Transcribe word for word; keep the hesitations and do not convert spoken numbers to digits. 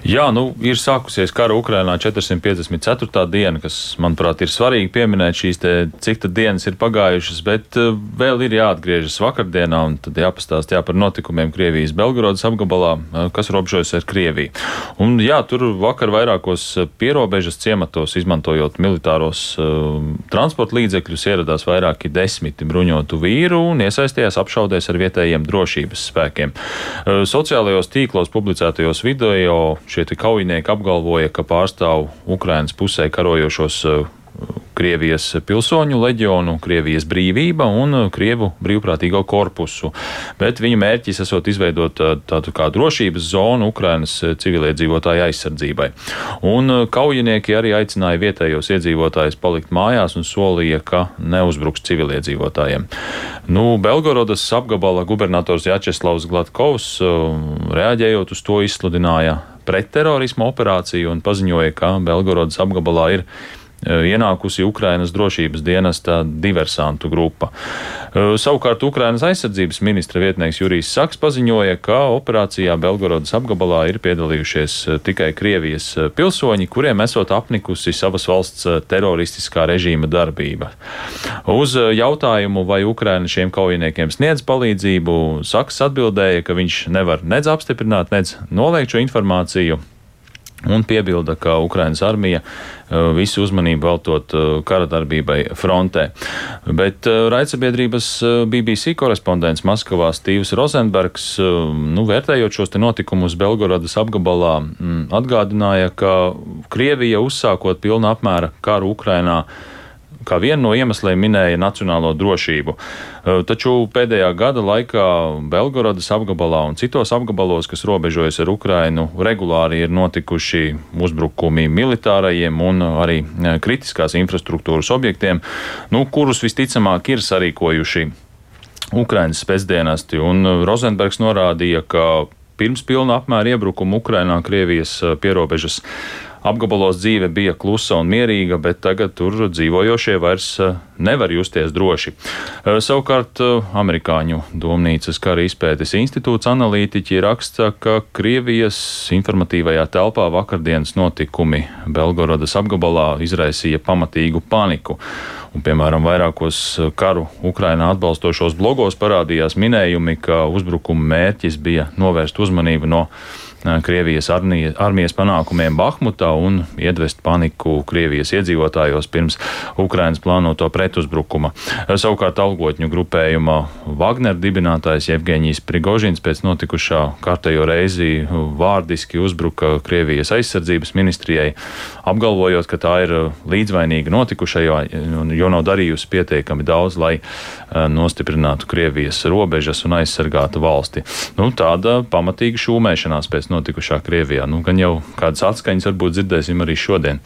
Jā, nu, ir sākusies kara Ukrainā četrsimt piecdesmit ceturtā diena, kas, manuprāt, ir svarīgi pieminēt šīs te, cik tad dienas ir pagājušas, bet uh, vēl ir jāatgriežas vakardienā un tad jāpastāst jā, par notikumiem Krievijas Belgorodas apgabalā, uh, kas robežojas ar Krieviju. Un jā, tur vakar vairākos pierobežas ciematos, izmantojot militāros uh, transporta līdzekļus, ieradās vairāki desmiti bruņotu vīru un iesaistījās apšaudēs ar vietējiem drošības spēkiem. Uh, sociālajos tīklos publicētajos video šie kaujinieki apgalvoja, ka pārstāv Ukrainas pusē karojošos Krievijas pilsoņu leģionu, Krievijas brīvība un Krievu brīvprātīgo korpusu. Bet viņa mērķis esot izveidot tādu kā drošības zonu Ukrainas civiliedzīvotāju aizsardzībai. Un kaujinieki arī aicināja vietējos iedzīvotājus palikt mājās un solīja, ka neuzbruks civiliedzīvotājiem. Nu, Belgorodas apgabala gubernators Jačeslavs Glatkovs, reaģējot uz to, izsludināja pretterorisma operāciju un paziņoja, ka Belgorodas apgabalā ir ienākusi Ukrainas drošības dienesta diversantu grupa. Savukārt Ukrainas aizsardzības ministra vietnieks Jurijs Saks paziņoja, ka operācijā Belgorodas apgabalā ir piedalījušies tikai Krievijas pilsoņi, kuriem esot apnikusi savas valsts teroristiskā režīma darbība. Uz jautājumu, vai Ukraina šiem kaujiniekiem sniedz palīdzību, Saks atbildēja, ka viņš nevar nedz apstiprināt, nedz noliegt šo informāciju. Un piebilda, ka Ukrainas armija visu uzmanību veltot kara darbībai frontē. Bet raidsabiedrības B B C korespondents Maskavā Stīvs Rozenbergs, nu, vērtējot šos te notikumus Belgorodas apgabalā, atgādināja, ka Krievija uzsākot pilna apmēra karu Ukrainā kā vienu no iemesliem minēja nacionālo drošību. Taču pēdējā gada laikā Belgorodas apgabalā un citos apgabalos, kas robežojas ar Ukrainu, regulāri ir notikuši uzbrukumi militārajiem un arī kritiskās infrastruktūras objektiem, nu, kurus visticamāk ir sarīkojuši Ukrainas spēcdienesti. Un Rozenbergs norādīja, ka pirms pilna apmēra iebrukuma Ukrainā Krievijas pierobežas apgabalos dzīve bija klusa un mierīga, bet tagad tur dzīvojošie vairs nevar justies droši. Savukārt amerikāņu domnīcas kara izpētes institūts analītiķi raksta, ka Krievijas informatīvajā telpā vakardienas notikumi Belgorodas apgabalā izraisīja pamatīgu paniku. Un, piemēram, vairākos karu Ukrainā atbalstošos blogos parādījās minējumi, ka uzbrukuma mērķis bija novērst uzmanību no Krievijas armijas panākumiem Bahmutā un iedvest paniku Krievijas iedzīvotājos pirms Ukrainas plānoto pretuzbrukuma. Savukārt algotņu grupējuma Wagner dibinātājs Jevgeņijs Prigožins pēc notikušā kārtējo reizi vārdiski uzbruka Krievijas aizsardzības ministrijai, apgalvojot, ka tā ir līdzvainīga notikušajā, jo nav darījusi pietiekami daudz, lai nostiprinātu Krievijas robežas un aizsargātu valsti. Nu, tāda pamatīga šūmēšanās pēc notikušā Krievijā. Nu, gan jau kādas atskaņas varbūt dzirdēsim arī šodien.